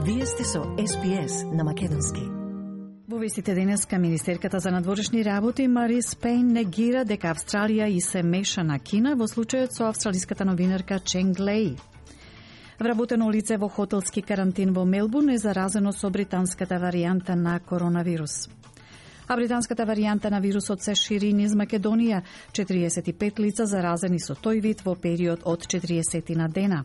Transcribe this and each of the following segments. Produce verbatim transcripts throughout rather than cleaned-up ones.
Вие сте со Ес Би Ес на македонски. Во вестите денеска министерката за надворешни работи Марис Пейн негира дека Австралија и се меша на Кина во случајот со австралиската новинарка Ченг Леј. Вработено лице во хотелски карантин во Мелбурн е заразено со британската варијанта на коронавирус. А британската варијанта на вирусот се шири низ Македонија. четириесет и пет лица заразени со тој вид во период од четириесет на дена.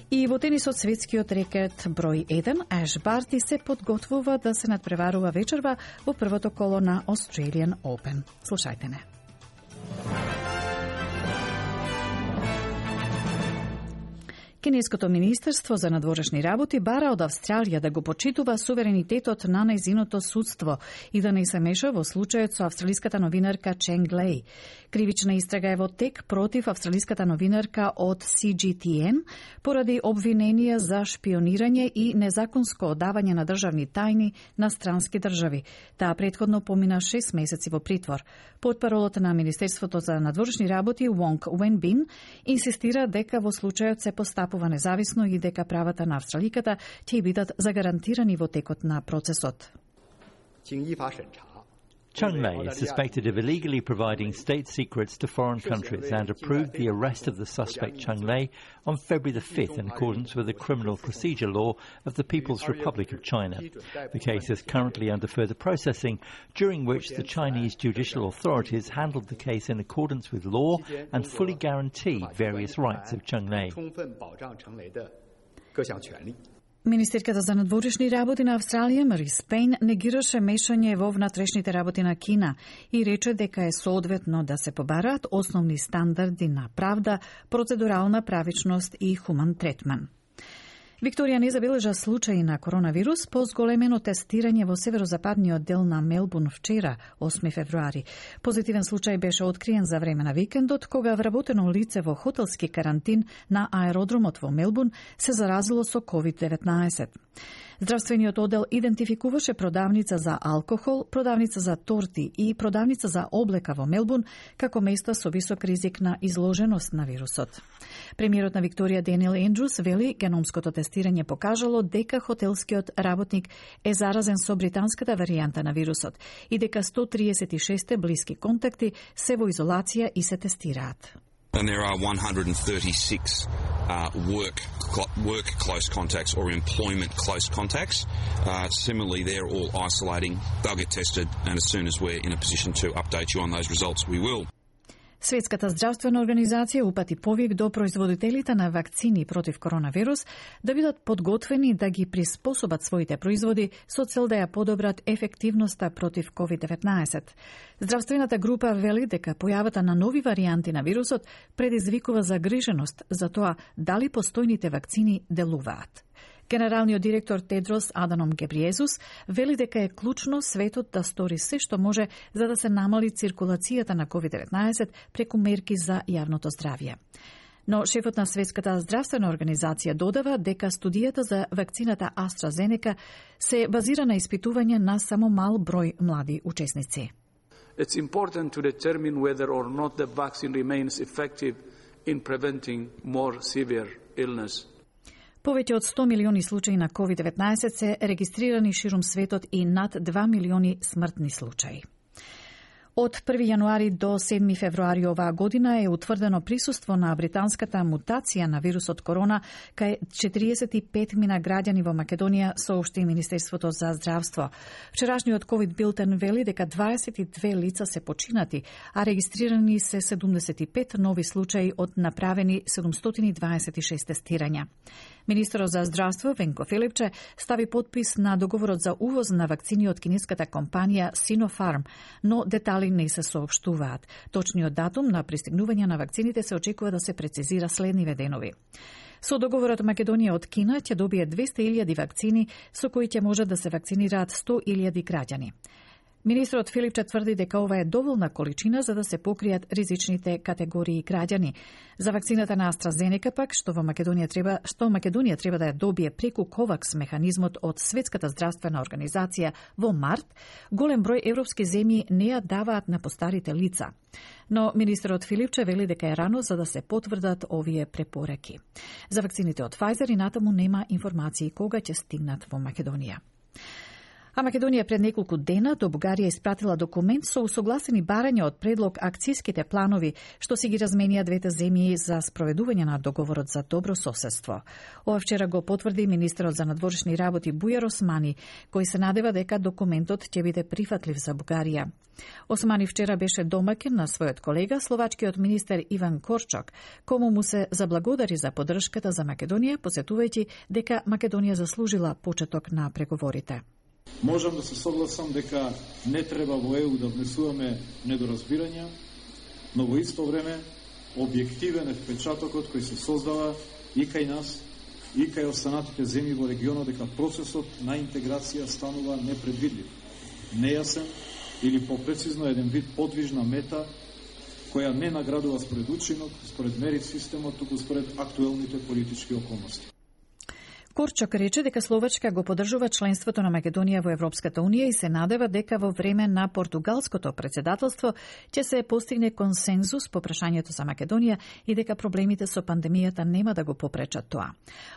И во тенисот светскиот рекет број еден, Аш Барти се подготвува да се надпреварува вечерва во првото коло на Australian Open. Слушајте не. Кинеското министерство за надворешни работи бара од Австралија да го почитува суверенитетот на нејзиното судство и да не се меша во случајот со австралиската новинарка Ченг Леј. Кривична истрага е во тек против австралиската новинарка од Си Джи Ти Ен поради обвиненија за шпионирање и незаконско одавање на државни тајни на странски држави. Таа претходно помина шест месеци во притвор. Потпаролот на Министерството за надворешни работи Вонг Уенбин инсистира дека во случајот се постапува независно и дека правата на австраликата ќе бидат загарантирани во текот на процесот. Cheng Lei is suspected of illegally providing state secrets to foreign countries and approved the arrest of the suspect Cheng Lei on February the fifth in accordance with the criminal procedure law of the People's Republic of China. The case is currently under further processing, during which the Chinese judicial authorities handled the case in accordance with law and fully guarantee various rights of Cheng Lei. Министерката за надворешни работи на Австралија Марис Пейн негираше мешање во внатрешните работи на Кина и рече дека е соодветно да се побараат основни стандарди на правда, процедурална правичност и хуман третман. Викторија не забележа случаи на коронавирус по зголемено тестирање во северозападниот дел на Мелбурн вчера, осми февруари. Позитивен случај беше откриен за време на викендот, кога вработено лице во хотелски карантин на аеродромот во Мелбурн се заразило со ковид деветнаесет. Здравствениот оддел идентификуваше продавница за алкохол, продавница за торти и продавница за облека во Мелбурн како места со висок ризик на изложеност на вирусот. Премиерот на Викторија Денел Ендрус вели геномското тестирање покажало дека хотелскиот работник е заразен со британската варијанта на вирусот и дека сто триесет и шест блиски контакти се во изолација и се тестираат. And there are one hundred thirty-six uh, work work close contacts or employment close contacts. Uh, similarly, they're all isolating. They'll get tested, and as soon as we're in a position to update you on those results, we will. Светската здравствена организација упати повик до производителите на вакцини против коронавирус да бидат подготвени да ги приспособат своите производи со цел да ја подобрат ефективноста против ковид деветнаесет. Здравствената група вели дека појавата на нови варијанти на вирусот предизвикува загриженост за тоа дали постојните вакцини делуваат. Генералниот директор Тедрос Аданом Гебриезус вели дека е клучно светот да стори се што може за да се намали циркулацијата на ковид деветнаесет преку мерки за јавното здравје. Но шефот на Светската здравствена организација додава дека студијата за вакцината AstraZeneca се базира на испитување на само мал број млади учесници. It's important to determine whether or not the vaccine remains effective in preventing more severe illness. Повеќе од сто милиони случаи на ковид деветнаесет се регистрирани ширум светот и над два милиони смртни случаи. Од први јануари до седми февруари оваа година е утврдено присуство на британската мутација на вирусот корона кај четириесет и пет мина граѓани во Македонија, соопшти Министерството за здравство. Вчерашниот ковид билтен вели дека дваесет и две лица се починати, а регистрирани се седумдесет и пет нови случаи од направени седумстотини дваесет и шест тестирања. Министерот за здравство Венко Филипче стави подпис на договорот за увоз на вакцини од кинеската компанија Sinopharm, но детали не се соопштуваат. Точниот датум на пристигнување на вакцините се очекува да се прецизира следниве денови. Со договорот Македонија од Кина ќе добие двесте илјади вакцини со кои ќе може да се вакцинираат сто илјади граѓани. Министрот Филипче тврди дека ова е доволна количина за да се покријат ризичните категории граѓани. За вакцината на AstraZeneca пак, што во Македонија треба, што Македонија треба да ја добие преку ковакс механизмот од Светската здравствена организација во март, голем број европски земји не ја даваат на постарите лица. Но министерот Филипче вели дека е рано за да се потврдат овие препораки. За вакцините од Pfizer и натаму нема информации кога ќе стигнат во Македонија. А Македонија пред неколку дена до Бугарија испратила документ со усогласени барања од предлог акциските планови што си ги разменија двете земји за спроведување на договорот за добро соседство. Ова вчера го потврди министерот за надворешни работи Бујар Османи, кој се надева дека документот ќе биде прифатлив за Бугарија. Османи вчера беше домаќин на својот колега, словачкиот министер Иван Корчок, кому му се заблагодари за поддршката за Македонија, посетувајќи дека Македонија заслужила почеток на преговорите. Можам да се согласам дека не треба во Е У да внесуваме недоразбирања, но во исто време објективен е впечатокот кој се создава и кај нас, и кај останатите земји во регионот дека процесот на интеграција станува непредвидлив, нејасен или попрецизно еден вид подвижна мета која не наградува според учинок, според мерит системот, туку според актуелните политички околности. Корчок рече дека Словачка го поддржува членството на Македонија во Европската Унија и се надева дека во време на португалското председателство ќе се постигне консензус по прашањето за Македонија и дека проблемите со пандемијата нема да го попречат тоа.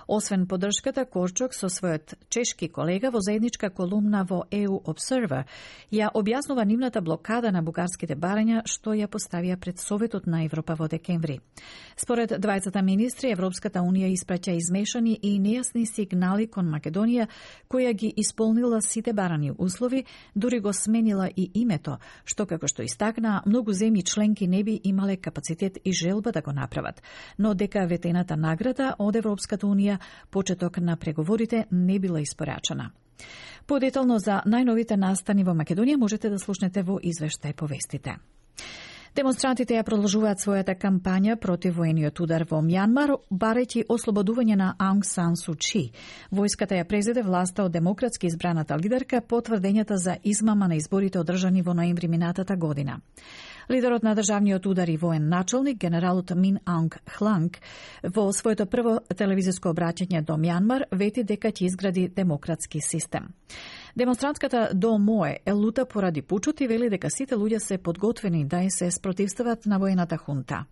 Освен поддршката, Корчок со својот чешки колега во заедничка колумна во Е У Observer ја објаснува нивната блокада на бугарските барања што ја поставија пред Советот на Европа во декември. Според двајцата министри, Европската Унија испраќа измешани и нејасни сигнали кон Македонија, која ги исполнила сите барани услови, дури го сменила и името, што како што истакна, многу земји членки не би имале капацитет и желба да го направат, но дека ветената награда од Европската Унија почеток на преговорите не била испорачана. Подетално за најновите настани во Македонија можете да слушнете во извештај по вестите. Демонстрантите ја продолжуваат својата кампања против воениот удар во Мјанмар, барајќи ослободување на Аунг Сан Су Чи. Војската ја презеде власта од демократски избраната лидерка по тврдењата за измама на изборите одржани во ноември минатата година. Лидерот на државниот удар и воен началник, генералот Мин Аунг Хланг, во своето прво телевизиско обраќање до Мјанмар, вети дека ќе изгради демократски систем. Демонстрантката До Мое е лута поради пучот и вели дека сите луѓе се подготвени да ја се спротивстават на воената хунта.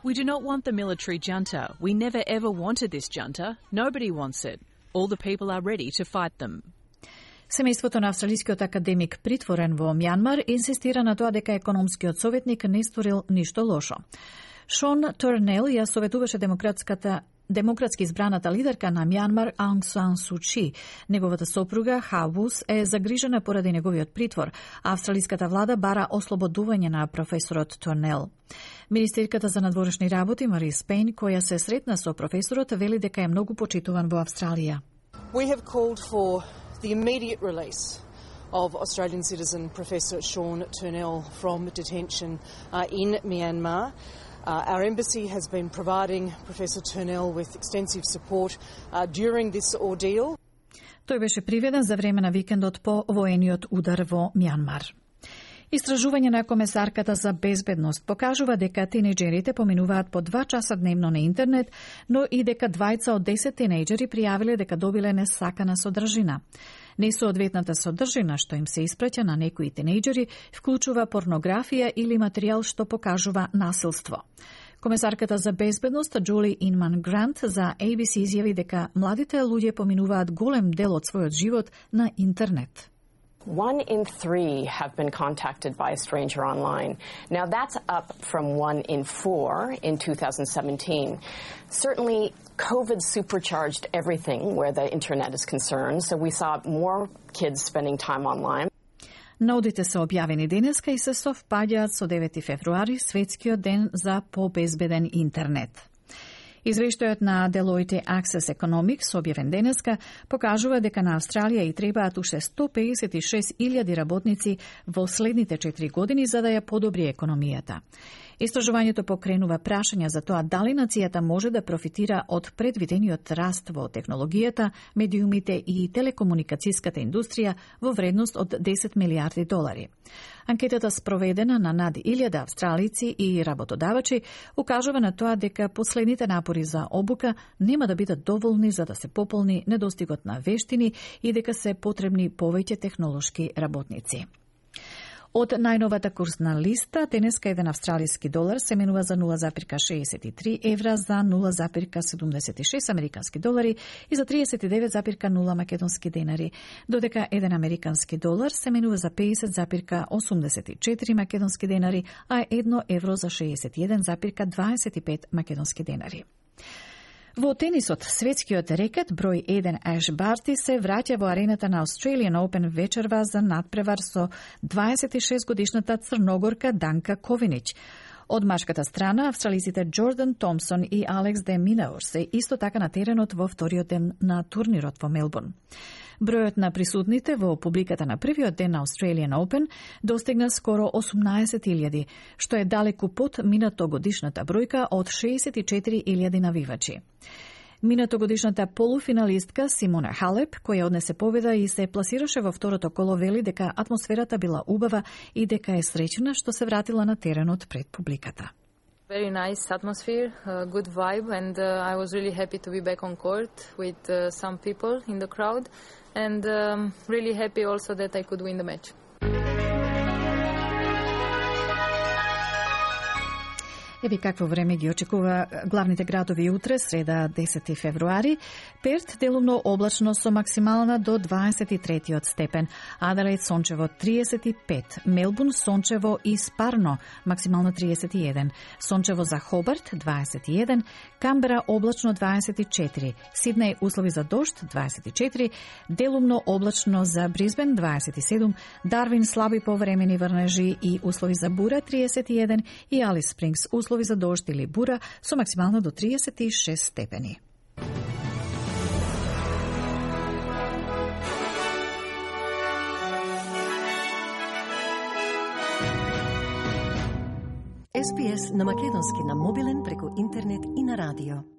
We do not want the military junta. We never ever wanted this junta. Nobody wants it. All the people are ready to fight them. Семејството на австралискиот академик притворен во Мјанмар инсистира на тоа дека економскиот советник не сторил ништо лошо. Шон Турнел ја советуваше демократската демократски избраната лидерка на Мјанмар Аунг Сан Су Чи. Неговата сопруга Хавус е загрижена поради неговиот притвор, а австралиската влада бара ослободување на професорот Турнел. Министерката за надворешни работи Марис Пейн, која се сретна со професорот, вели дека е многу почитуван во Австралија. We have called for the immediate release of Australian citizen Professor Sean Turnell from detention uh, in Myanmar. Uh, our embassy has been providing Professor Turnell with extensive support uh, during this ordeal. Тој беше приведен за време на викендот по воениот удар во Мјанмар. Истражување на комесарката за безбедност покажува дека тинејџерите поминуваат по два часа дневно на интернет, но и дека двајца од десет тинејџери пријавиле дека добиле несакана содржина. Несоодветната содржина што им се испраќа на некои тинејџери вклучува порнографија или материјал што покажува насилство. Комесарката за безбедност Джули Инман Грант за А Б С изјави дека младите луѓе поминуваат голем дел од својот живот на интернет. One in three have been contacted by a stranger online. Now that's up from one in four in two thousand seventeen. Certainly, COVID supercharged everything where the internet is concerned, so we saw more kids spending time online. Наудите се објавени денеска и се совпаѓаат со девети февруари, светскиот ден за побезбеден интернет. Извештајот на Deloitte Access Economics, објавен денеска, покажува дека на Австралија и требаат уште сто педесет и шест илјади работници во следните четири години за да ја подобри економијата. Истражувањето покренува прашања за тоа дали нацијата може да профитира од предвидениот раст во технологијата, медиумите и телекомуникацијската индустрија во вредност од десет милиарди долари. Анкетата спроведена на над илјада австралици и работодавачи укажува на тоа дека последните напори за обука нема да бидат доволни за да се пополни недостигот на вештини и дека се потребни повеќе технолошки работници. Од најновата курсна листа, денеска еден австралиски долар се менува за нула запирка шеесет и три евра, за нула запирка седумдесет и шест американски долари и за триесет и девет запирка нула македонски денари, додека еден американски долар се менува за педесет запирка осумдесет и четири македонски денари, а едно евро за шеесет и еден запирка дваесет и пет македонски денари. Во тенисот, светскиот рекет број еден Аш Барти се враќа во арената на Australian Open вечерва за надпревар со дваесет и шест годишната црногорка Данка Ковинич. Од машката страна, австралиците Джордан Томсон и Алекс де Минаур се исто така на теренот во вториот ден на турнирот во Мелбурн. Бројот на присутните во публиката на првиот ден на Australian Open достигна скоро осумнаесет илјади, што е далеку под минатогодишната бројка од шеесет и четири илјади навивачи. Минатогодишната полуфиналистка Симона Халеп, која однесе победа и се пласираше во второто коло, вели дека атмосферата била убава и дека е среќна што се вратила на теренот пред публиката. Very nice atmosphere, uh, good vibe, and uh, I was really happy to be back on court with uh, some people in the crowd, and um, really happy also that I could win the match. Еби какво време ги очекува главните градови утре, среда десети февруари. Перт делумно облачно со максимална до дваесет и трети степен. Аделаид сончево триесет и пет. Мелбурн сончево и спарно, максимално триесет и еден. Сончево за Хобарт дваесет и еден. Камбера облачно дваесет и четири. Сиднеј услови за дожд дваесет и четири. Делумно облачно за Брисбен дваесет и седум. Дарвин слаби повремени врнежи и услови за бура триесет и еден. И Алис Спрингс услови за дожд или бура со максимално до триесет и шест степени. Ес Би Ес на македонски на мобилен преку интернет и на радио.